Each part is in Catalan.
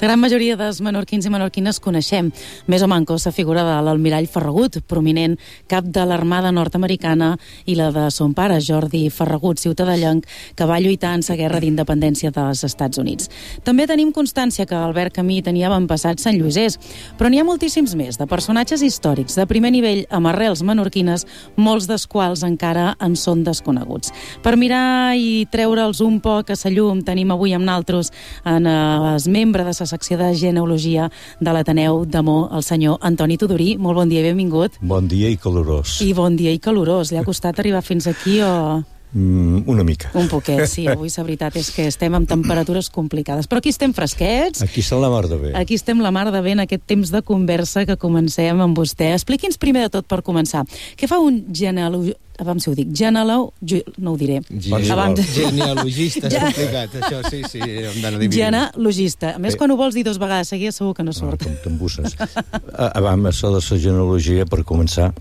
La gran majoria dels menorquins i menorquines coneixem més o manco la figura de l'almirall Ferragut, prominent cap de l'Armada nord-americana, i la de son pare, Jordi Ferragut, ciutadellenc, que va lluitar en la guerra d'independència dels Estats Units. També tenim constància que Albert Camus tenia avantpassats santllosers, però n'hi ha moltíssims més, de personatges històrics de primer nivell amb arrels menorquines, molts dels quals encara en són desconeguts. Per mirar i treure'ls un poc a la llum, tenim avui amb naltros en el membre de la secció de genealogia de l'Ateneu d'Amor, el senyor Antoni Tudurí. Molt bon dia i benvingut. Bon dia i calorós. I bon dia i calorós. Li ha costat arribar fins aquí o...? Una mica. Un poquet, sí. Avui la veritat és que estem amb temperatures complicades. Però aquí estem fresquets. Aquí estem la mar de bé. Aquí estem la mar de bé en aquest temps de conversa que comencem amb vostè. Expliqui'ns primer de tot, per començar, què fa un genealogista? Abans si ho dic, no ho diré. Genealogista, és complicat, això sí, hem d'anar dividint. Genealogista. A més, quan ho vols dir 2 vegades seguides, segur que no surt. Com t'embusses. Abans, això de la genealogia, per començar,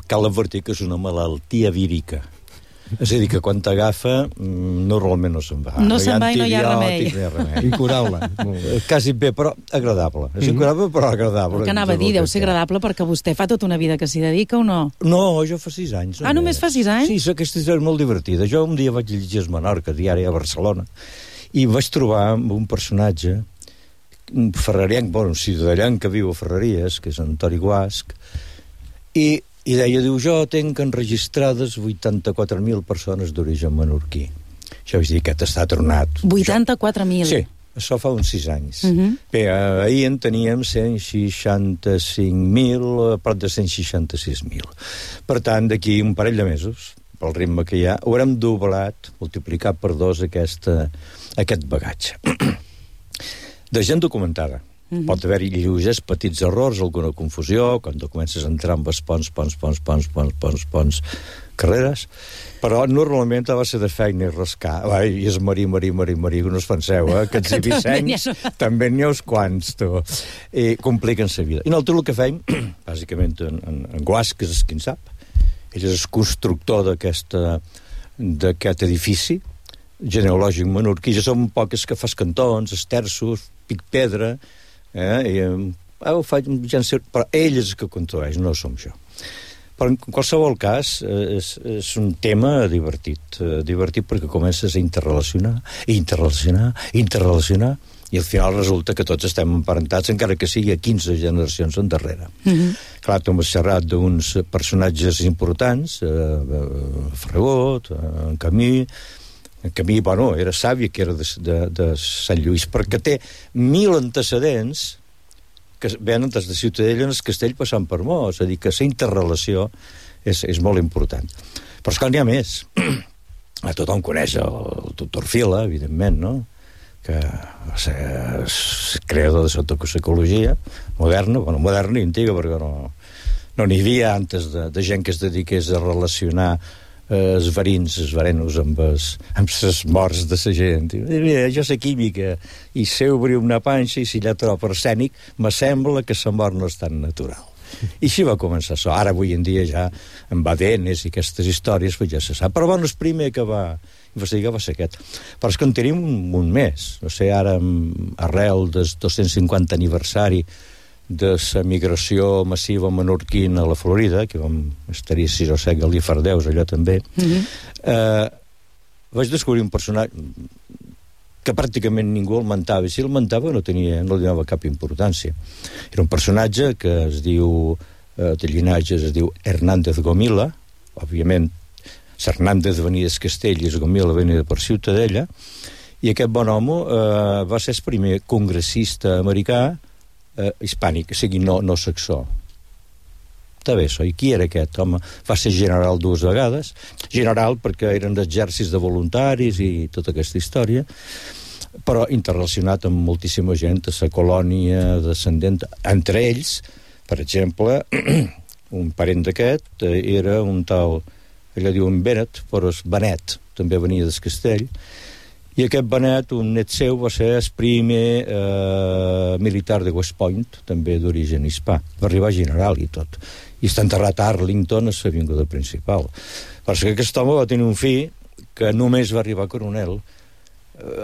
cal advertir que és una malaltia vírica. És a dir, que quan t'agafa, normalment no se'n va. No se'n va i no hi ha remei. Incurable. Quasi bé, però agradable. És incurable, però agradable. El que anava a dir, deu ser agradable perquè vostè fa tota una vida que s'hi dedica o no? No, jo fa 6 anys. Només fa 6 anys? Sí, aquesta història és molt divertida. Jo un dia vaig llegir el Menorca, diari a Barcelona, i vaig trobar un personatge, un ferrarienc, un ciutadellenc que viu a Ferreries, que és Antoni Guasch, i deia, jo tenc enregistrades 84.000 persones d'origen menorquí. Això vaig dir, aquest està tronat. 84.000? Sí, això fa uns 6 anys. Bé, ahir en teníem 165.000, a prop de 166.000. Per tant, d'aquí un parell de mesos, pel ritme que hi ha, haurem doblat, multiplicat per 2 aquest bagatge. De gent documentada. Pot haver-hi lleugers petits errors, alguna confusió, quan tu comences a entrar amb els ponts, carreres, però normalment a base de feina i rascar. I és marí, que no us penseu, que ets ibicencs, també n'hi ha uns quants, tu. I compliquen la vida. I nosaltres el que fem, bàsicament en Guasch, que és qui en sap, ell és el constructor d'aquest edifici genealògic menorquí. Ja som poques que fas cantons, esterços, pic-pedra, però ell és el que construeix, no som jo. Però en qualsevol cas és un tema divertit perquè comences a interrelacionar i al final resulta que tots estem emparentats, encara que sigui a 15 generacions endarrere. Clar, tu m'has xerrat d'uns personatges importants, Ferragut, en Camus. En Camus, era sàvia, que era de Sant Lluís, perquè té 1.000 antecedents que venen des de Ciutadella en el castell passant per Mó, és a dir, que la interrelació és molt important. Però esclar, n'hi ha més. Tothom coneix el doctor Fila, evidentment, no?, que va ser creador de la toxicologia moderna, moderna i antiga, perquè no n'hi havia antes de gent que es dediqués a relacionar els verenos amb les morts de la gent. Jo sé química i sé obrir una panxa i si allà trobo arsènic m'assembla que la mort no és tan natural. I així va començar això. Ara, avui en dia, ja amb ADNs i aquestes històries ja se sap. Però el primer que va investigar va ser aquest. Però és que en tenim un més. No sé, ara, arrel del 250 aniversari de la migració massiva menorquina a la Florida, que vam estar-hi 6 o 7 galifardeus, allò també, vaig descobrir un personatge que pràcticament ningú el mentava, i si el mentava no li donava cap importància. Era un personatge que es diu, de llinatge es diu Hernández Gomila, òbviament Hernández venia del Castell i Gomila venia per Ciutadella, i aquest bon home va ser el primer congressista americà hispànic, o sigui, no saxó. Està bé, això. I qui era aquest home? Va ser general 2 vegades. General perquè eren d'exèrcits de voluntaris i tota aquesta història, però interrelacionat amb moltíssima gent de la colònia descendent. Entre ells, per exemple, un parent d'aquest era un tal, allò diuen Benet, però és Benet, també venia del Castell, i aquest Benet, un net seu, va ser el primer militar de West Point, també d'origen hispà. Va arribar a general i tot. I està enterrat a Arlington, a l'avinguda principal. Perquè aquest home va tenir un fill que només va arribar a coronel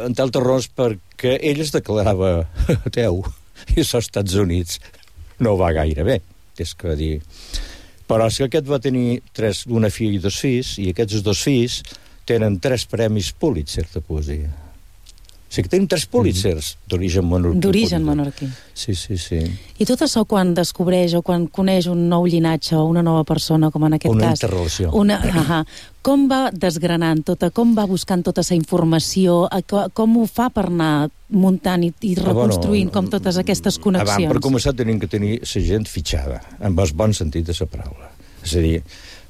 entre altres raons perquè ell es declarava ateu, i als Estats Units no va gaire bé, és que dir... Però és que aquest va tenir una filla i 2 fills, i aquests 2 fills tenen 3 premis Pulitzer de poesia. O sigui que tenen 3 Pulitzers d'origen menorquí. D'origen menorquí. Sí. I tot això quan descobreix o quan coneix un nou llinatge o una nova persona, com en aquest una cas... interrelació. Com va desgranant com va buscant tota aquesta informació, com ho fa per anar muntant i reconstruint com totes aquestes connexions? Per començar tenim que tenir la gent fitxada, amb el bon sentit de la paraula. És a dir,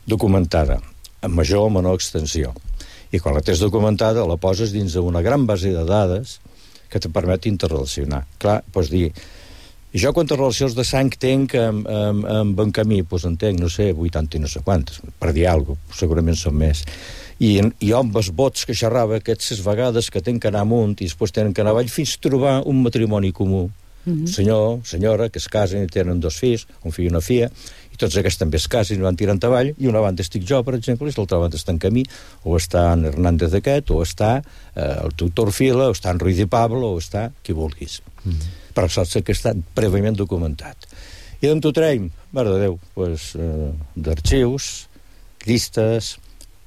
documentada, amb major o menor extensió. I quan la tens documentada la poses dins d'una gran base de dades que te permet interrelacionar. Clar, pots dir, jo quantes relacions de sang tenc amb un camí? Doncs en tenc, no sé, 80 i no sé quantes, per dir alguna cosa, segurament són més. I amb els vots que xerrava aquestes vegades que tenen que anar amunt i després tenen que anar avall fins a trobar un matrimoni comú. Senyor, senyora, que es casen i tenen 2 fills, un fill i una filla, i tots aquests també es casen i van tirant avall, i una banda estic jo, per exemple, i l'altra banda està en Camí, o està en Hernández aquest, o està el tutor Fila, o està en Ruiz de Pablo, o està qui vulguis. Però saps que està prèviament documentat. I d'on t'ho traiem? Mare de Déu, d'arxius, llistes,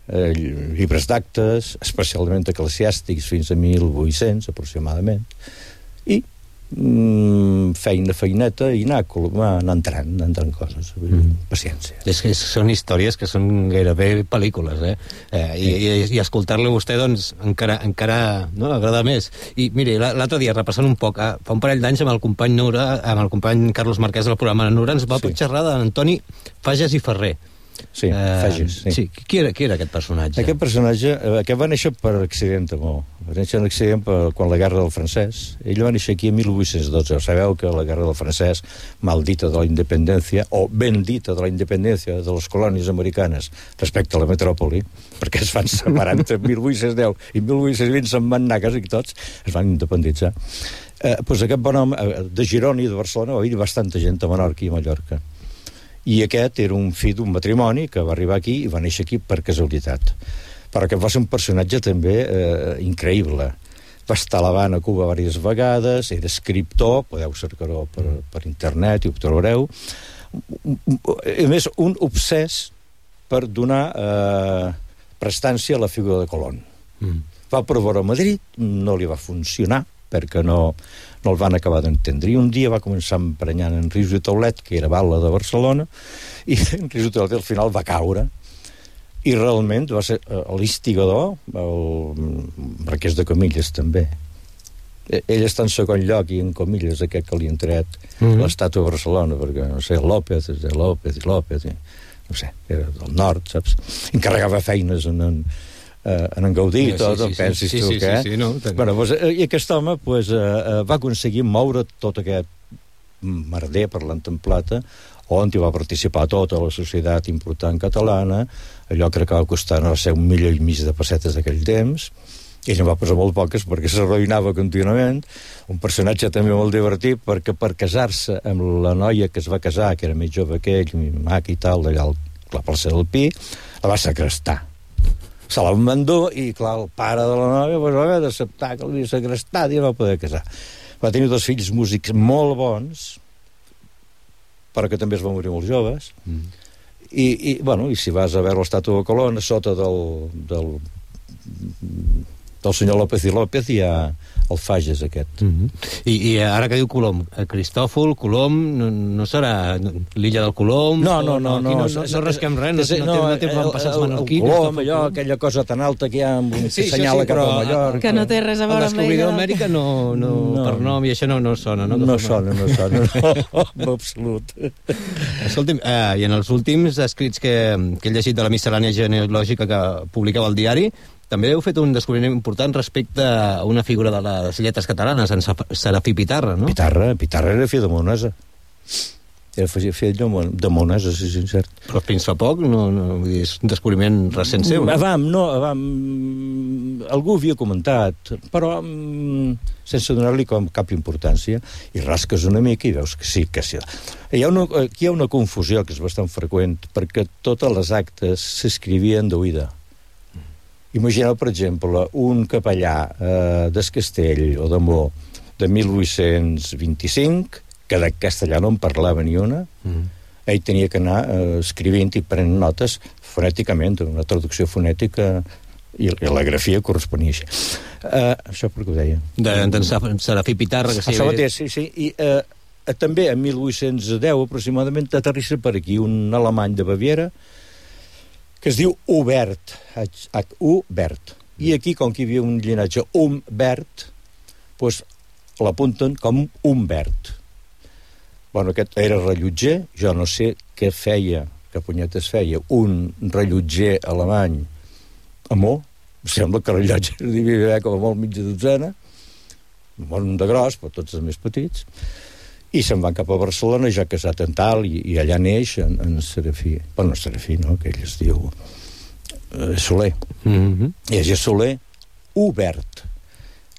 llibres d'actes, especialment eclesiàstics fins a 1800, aproximadament, i feineta i anar entrant coses. Paciència. És que són històries que són gairebé pel·lícules, I escoltar-lo a vostè, doncs, encara no, agrada més. I miri, l'altre dia, repassant un poc, fa un parell d'anys amb el company Nura, amb el company Carlos Marquès del programa Nura, ens va xerrar d'Antoni Fages i Ferrer. Sí, Fages, sí. Qui era aquest personatge? Aquest personatge, aquest va néixer per accident, va néixer en accident quan la Guerra del Francès. Ell va néixer aquí en 1812. Sabeu que la Guerra del Francès, maldita de la independència, o bendita de la independència de les colònies americanes respecte a la metròpoli, perquè es van separar entre 1810 i 1820, se'n van anar quasi tots, es van independitzar. Doncs aquest bon home, de Girona i de Barcelona, va haver bastanta gent a Menorca i a Mallorca. I aquest era un fill d'un matrimoni que va arribar aquí i va néixer aquí per casualitat. Però que va ser un personatge també increïble. Va estar a l'Havana, a Cuba, diverses vegades, era escriptor, podeu cercar-ho per internet i ho trobareu. A més, un obsès per donar prestància a la figura de Colón. Va provar a Madrid, no li va funcionar, perquè no el van acabar d'entendre. I un dia va començar emprenyant en Rius de Taulet, que era bala de Barcelona, i en Rius de Taulet al final va caure. I realment va ser l'instigador, el Marquès de Comillas també. Ell està en segon lloc i en Comillas aquest que li han tret l'estàtua de Barcelona, perquè, no sé, López, no sé, era del nord, saps? Encarregava feines en Gaudí i tot, pensis tu què? I aquest home va aconseguir moure tot aquest merder, parlant en plata, on hi va participar tota la societat important catalana, allò crec que va costar, no sé, 1,5 milió de pessetes d'aquell temps, i ell en va posar molt poques perquè s'arruïnava contínuament. Un personatge també molt divertit, perquè per casar-se amb la noia que es va casar, que era més jove que ell, maca i tal, d'allà a la plaça del Pi, la va segrestar. Se la van endur i, clar, el pare de la nòvia va haver d'acceptar que l'havia segrestat i no va poder casar. Va tenir 2 fills músics molt bons, però que també es van morir molt joves. I si vas a veure l'estàtua de Colón, a sota del senyor López i López hi ha el Fages aquest. I ara que diu Colom, Cristòfol, Colom, no serà l'illa del Colom? No rasquem res, no té passats menorquins. El Colom, allò, aquella cosa tan alta que hi ha que senyala cap a Mallorca. Que no té res a veure amb l'illa. El descobridor d'Amèrica per nom i això no sona, no? No sona, en absolut. Escolti'm, i en els últims escrits que he llegit de la miscel·lània genealògica que publicava al diari, també heu fet un descobriment important respecte a una figura de les lletres catalanes, en Serafí Pitarra, no? Pitarra era fill de Monesa. Era fill de Monesa, sí, cert. Però fins fa poc és un descobriment recent seu. Algú havia comentat, però sense donar-li cap importància, i rasques una mica i veus que sí. Aquí hi ha una confusió que és bastant freqüent, perquè totes les actes s'escrivien d'oïda. Imagineu, per exemple, un capellà del Castell o de Mo de 1825, que de castellà no en parlava ni una, ell tenia que anar escrivint i prenent notes fonèticament, una traducció fonètica, i la grafia corresponia així. Això per què ho deia? D'en Serafí Pitarra, que sí. I també en 1810 aproximadament aterrissa per aquí un alemany de Baviera que es diu Hubert, H-U-Bert. I aquí, com que hi havia un llinatge Humbert, doncs l'apunten com Humbert. Bueno, aquest era rellotger, jo no sé què feia, que punyetes feia, un rellotger alemany a Mo, sembla que rellotge devia haver com a molt mitja dotzena, un de gros, però tots els més petits, i se'n van cap a Barcelona, ja casat en tal, i allà neix en Serafí. Bueno, Serafí, no?, que ell es diu Soler. I és Soler Hubert.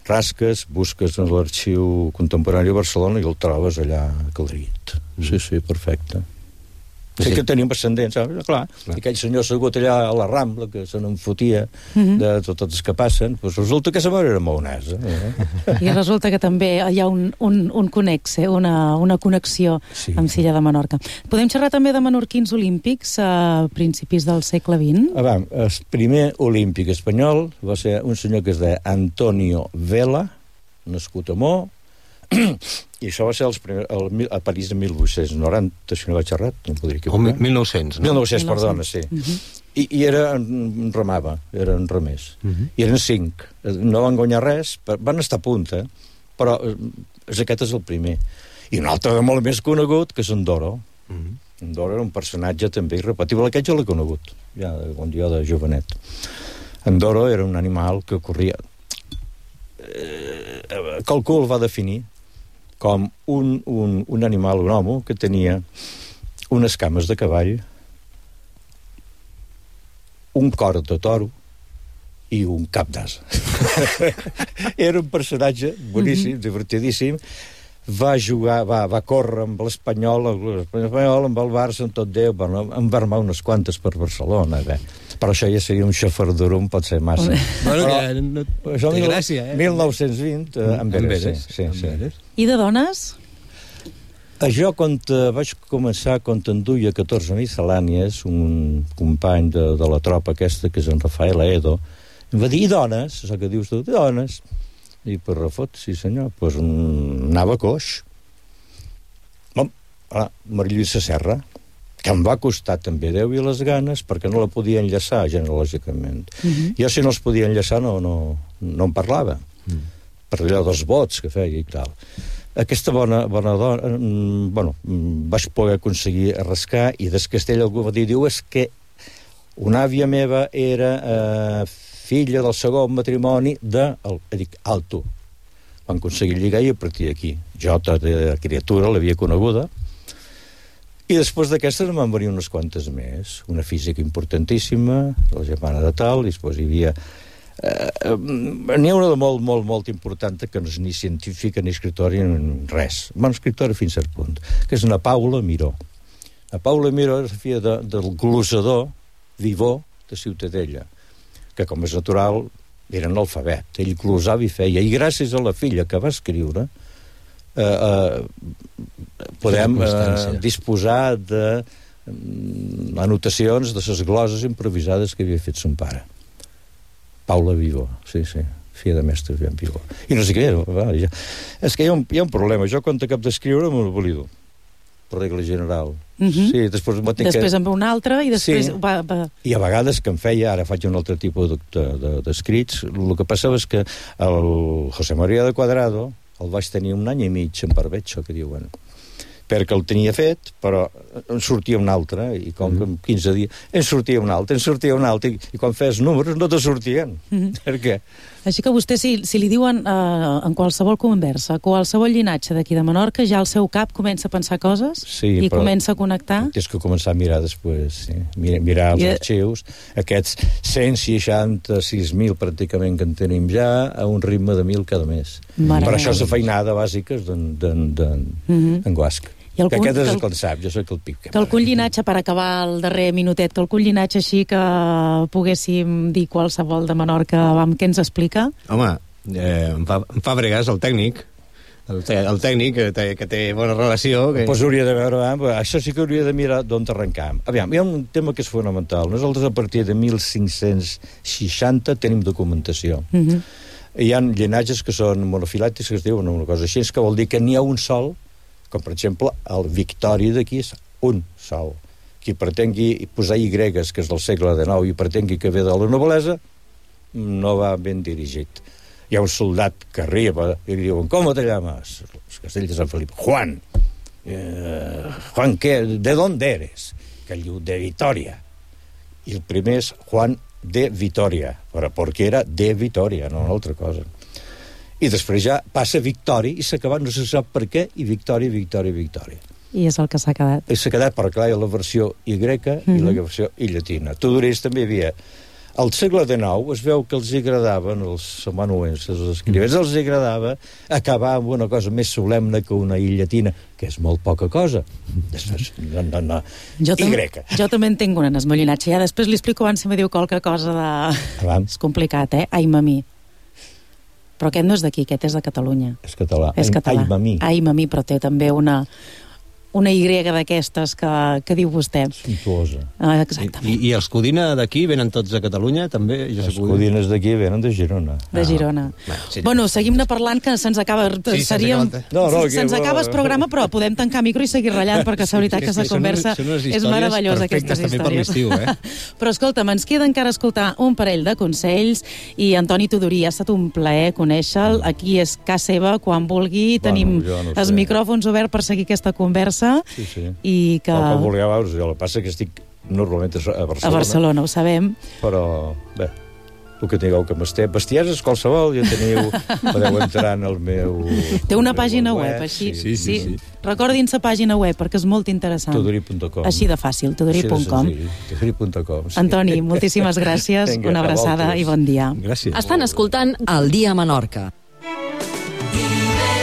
Rasques, busques en l'arxiu contemporani de Barcelona i el trobes allà calderit. Sí, perfecte. Sí que tenim ascendents, saps? Clar. Aquell senyor assegut allà a la Rambla, que se n'enfotia de tots els que passen, doncs resulta que sa mare era maonesa. I resulta que també hi ha un connexe, una connexió amb Silla de Menorca. Podem xerrar també de menorquins olímpics a principis del segle XX? El primer olímpic espanyol va ser un senyor que es deia Antonio Vela, nascut a Mo, i això va ser a París de 1890, si no vaig errat, no podria equivocar. 1900, no? 1900, perdona, sí. I remava, eren remers. I eren 5. No van guanyar res, van estar a punta, però aquest és el primer. I un altre de molt més conegut, que és en Doro. En Doro era un personatge també irrepetible. Aquest jo l'he conegut, ja quan jo de jovenet. En Doro era un animal que corria... Calcul va definir com un animal, un home, que tenia unes cames de cavall, un cor de toro i un cap d'ase. Era un personatge boníssim, divertidíssim. Va jugar, va córrer amb l'Espanyol, amb el Barça, amb tot Déu, en va armar unes quantes per Barcelona, però això ja seria un xafardurum, pot ser massa. Bueno, que no té gràcia, 1920, en Veres, sí. I de dones? Jo, quan vaig començar, quan enduia 14 miscel·lànies, un company de la tropa aquesta, que és en Rafael Aedo, em va dir, i dones? Això que dius tu, dones? I per refot, sí senyor, doncs anava coix. Maria Lluïsa Serra, que em va costar també Déu i les ganes, perquè no la podia enllaçar genològicament. Jo, si no els podia enllaçar, no en parlava, per allò dels vots que feia i tal. Aquesta bona dona, vaig poder aconseguir arrascar, i des Castell algú va dir, diu, és que una àvia meva era filla del segon matrimoni dic, alto. Van aconseguir lligar i a partir d'aquí. Jo, tota criatura, l'havia coneguda, i després d'aquestes em van venir unes quantes més. Una física importantíssima, la germana de tal, i després hi havia... N'hi ha una de molt, molt, molt important, que no és ni científica, ni escritora, ni res. Bueno, escritora fins a cert punt, que és una Paula Miró. La Paula Miró és la filla del glosador Vivó de Ciutadella, que, com és natural, era analfabet. Ell glosava i feia, i gràcies a la filla que va escriure, podem disposar d'anotacions de les gloses improvisades que havia fet son pare. Paula Vivó, sí, filla de mestre Vivó. I no sé què era. És que hi ha un problema. Jo, quan acabo d'escriure, m'ho oblido, per regla general. Sí, després en ve un altre i després... I a vegades que em feia, ara faig un altre tipus d'escrits, el que passava és que el José María de Cuadrado el vaig tenir un any i mig en barbecho, que diuen, perquè el tenia fet, però en sortia un altre, i com que en 15 dies en sortia un altre, i quan fes números no te sortien. Per què? Així que vostè, si li diuen en qualsevol conversa, qualsevol llinatge d'aquí de Menorca, ja al seu cap comença a pensar coses i comença a connectar? Tens que començar a mirar després, sí. Mirar els arxius, aquests 166.000 pràcticament que en tenim ja, a un ritme de 1.000 cada mes. Per això és la feinada bàsica d'en Guasc. Que aquest és el que el sap, jo soc el Pip. Que algun llinatge, per acabar el darrer minutet, que algun llinatge així que poguéssim dir qualsevol de Menorca, què ens explica? Home, em fa bregues el tècnic, el tècnic que té bona relació. Pues hauria de veure, això sí que hauria de mirar d'on arrencam. Aviam, hi ha un tema que és fonamental. Nosaltres a partir de 1560 tenim documentació. Hi ha llinatges que són monofilàtics, que es diuen una cosa així, que vol dir que n'hi ha un sol, com per exemple el Victori d'aquí és un sol. Qui pretengui posar Y, que és del segle XIX, i pretengui que ve de la noblesa, no va ben dirigit. Hi ha un soldat que arriba i li diuen, ¿cómo te llamas? Els castells de Sant Felip. Juan. Juan, ¿qué? ¿De dónde eres? Que ell diu, de Vitoria. I el primer és Juan de Vitoria, perquè era de Vitoria, no una altra cosa. I després ja passa Victori i s'ha acabat, no se sap per què, i Victori. I és el que s'ha quedat. I s'ha quedat perquè hi ha la versió i grega i la versió i llatina. Tudorells també hi havia. Al segle XIX es veu que els agradaven, els amanuenses, els escrivents, els agradava acabar amb una cosa més solemne que una i llatina, que és molt poca cosa. Després, no. I greca. Jo també en tinc un esmolinatge. Ja després li explico abans si me diu qualque cosa de... És complicat, Ai, mamí. Però aquest no és d'aquí, aquest és de Catalunya. És català. És català. Ai, mamí, però té també una Y d'aquestes que diu vostè. Suntuosa. Exactament. I els Codina d'aquí venen tots de Catalunya, també? Els Codines d'aquí venen de Girona. De Girona. Bueno, seguim-ne parlant, que se'ns acaba... Se'ns acaba el programa, però podem tancar micro i seguir ratllant, perquè la veritat que la conversa és meravellosa, aquestes històries. Però escolta'm, ens queda encara escoltar un parell de consells, i Antoni Tudorí, ha estat un plaer conèixer-lo. Aquí és casa seva, quan vulgui. Tenim els micròfons oberts per seguir aquesta conversa. I que... El que vulgueu veure, jo la passa que estic normalment a Barcelona. A Barcelona, ho sabem. Però, bé, el que tingueu que m'esté. Bestieses, qualsevol, ja teniu... Podeu entrar en el meu... Té una pàgina web, així. Sí. Recordin la pàgina web, perquè és molt interessant. Tudori.com. Així de fàcil, tudori.com. Tudori.com. Antoni, moltíssimes gràcies, una abraçada i bon dia. Gràcies. Estan escoltant El Dia a Menorca.